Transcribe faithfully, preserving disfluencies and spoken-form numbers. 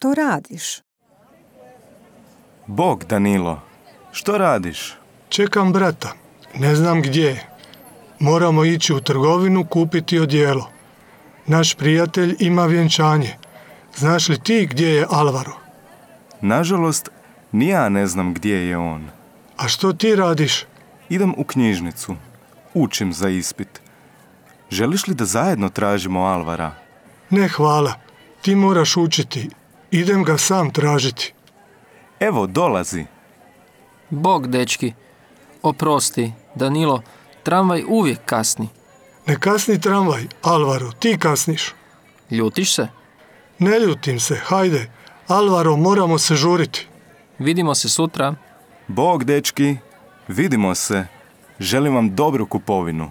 što radiš? Bog, Danilo, što radiš? Čekam brata. Ne znam gdje je. Moramo ići u trgovinu kupiti odijelo. Naš prijatelj ima vjenčanje. Znaš li ti gdje je Alvaro? Nažalost, ni ja ne znam gdje je on. A što ti radiš? Idem u knjižnicu. Učim za ispit. Želiš li da zajedno tražimo Alvara? Ne, hvala. Ti moraš učiti. Idem ga sam tražiti. Evo, dolazi. Bog, dečki. Oprosti, Danilo, tramvaj uvijek kasni. Ne kasni tramvaj, Alvaro, ti kasniš. Ljutiš se? Ne ljutim se, hajde. Alvaro, moramo se žuriti. Vidimo se sutra. Bog, dečki, vidimo se. Želim vam dobru kupovinu.